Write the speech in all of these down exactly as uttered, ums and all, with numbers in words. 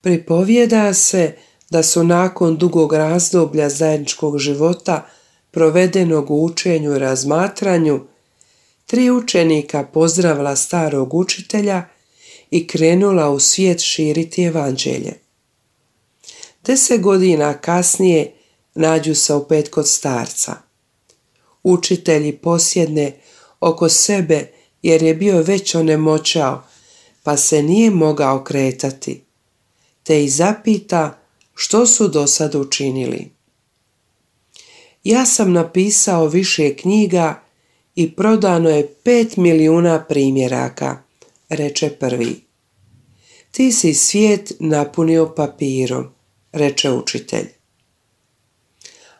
Pripovijeda se da su nakon dugog razdoblja zajedničkog života provedenog u učenju i razmatranju, tri učenika pozdravila starog učitelja i krenula u svijet širiti evanđelje. Deset godina kasnije nađu se opet kod starca. Učitelji posjedne oko sebe jer je bio već onemoćao, pa se nije mogao kretati, te ih zapita što su do sad učinili. Ja sam napisao više knjiga i prodano je pet milijuna primjeraka, reče prvi. Ti si svijet napunio papirom, reče učitelj.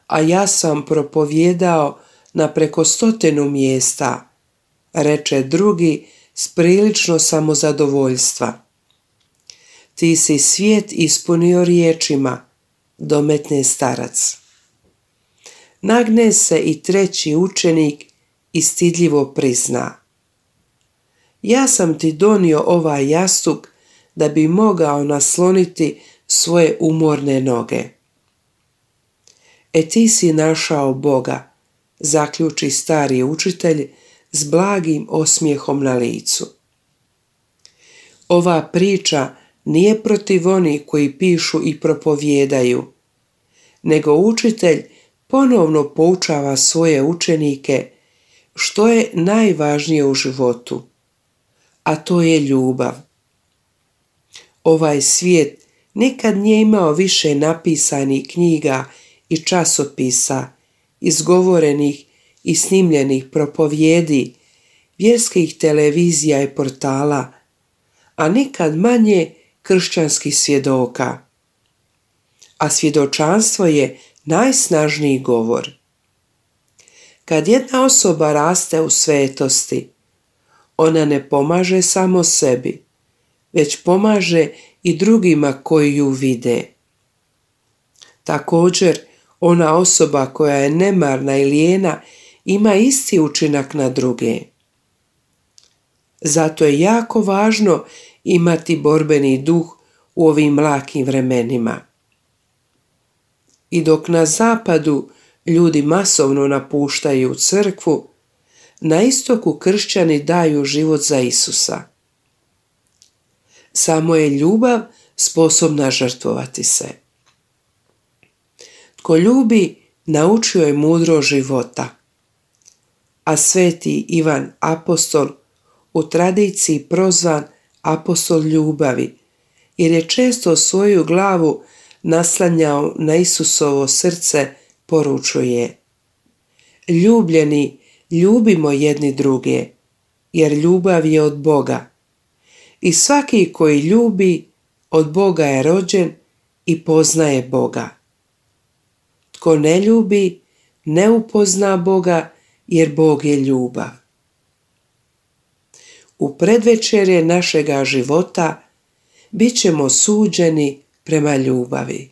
A ja sam propovijedao na preko stotinu mjesta, reče drugi s prilično samozadovoljstva. Ti si svijet ispunio riječima, dometne starac. Nagne se i treći učenik i stidljivo prizna. Ja sam ti donio ovaj jastuk da bi mogao nasloniti svoje umorne noge. E ti si našao Boga, zaključi stari učitelj s blagim osmijehom na licu. Ova priča nije protiv onih koji pišu i propovijedaju, nego učitelj ponovno poučava svoje učenike što je najvažnije u životu, a to je ljubav. Ovaj svijet nikad nije imao više napisanih knjiga i časopisa, izgovorenih i snimljenih propovijedi, vjerskih televizija i portala, a nikad manje kršćanskih svjedoka. A svjedočanstvo je najsnažniji govor. Kad jedna osoba raste u svetosti, ona ne pomaže samo sebi, već pomaže i drugima koji ju vide. Također, ona osoba koja je nemarna i lijena ima isti učinak na druge. Zato je jako važno imati borbeni duh u ovim mlakim vremenima. I dok na zapadu ljudi masovno napuštaju crkvu, na istoku kršćani daju život za Isusa. Samo je ljubav sposobna žrtvovati se. Tko ljubi, naučio je mudro života. A sveti Ivan Apostol u tradiciji prozvan apostol ljubavi, jer je često svoju glavu naslanjao na Isusovo srce, poručuje: Ljubljeni, ljubimo jedni druge, jer ljubav je od Boga. I svaki koji ljubi, od Boga je rođen i poznaje Boga. Tko ne ljubi, ne upozna Boga, jer Bog je ljubav. U predvečerje našega života bit ćemo suđeni prema ljubavi.